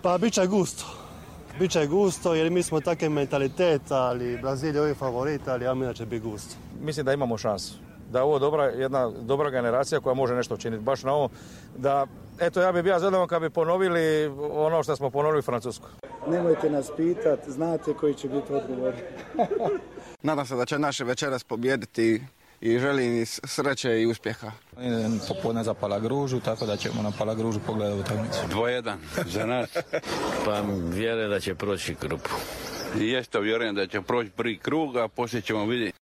Pa bit će gusto. Biće gusto jer mi smo takav mentalitet, ali Brazil je ovaj favorit, ali ja mislim da će biti gusto. Mislim da imamo šansu. Da je ovo jedna dobra generacija koja može nešto učiniti. Baš na ovo da, eto ja bih bio zadovoljan kad bi ponovili ono što smo ponovili u Francusku. Nemojte nas pitati, znate koji će biti odgovor. Nadam se da će naše večeras pobijediti i želim im sreće i uspjeha. Popodne za Palagružu, tako da ćemo na Palagružu pogledati utakmicu. 2:1 za nas. Pa vjerujem da će proći grupu. I jeste vjerujem da će proći prvi krug, a poslije ćemo vidjeti.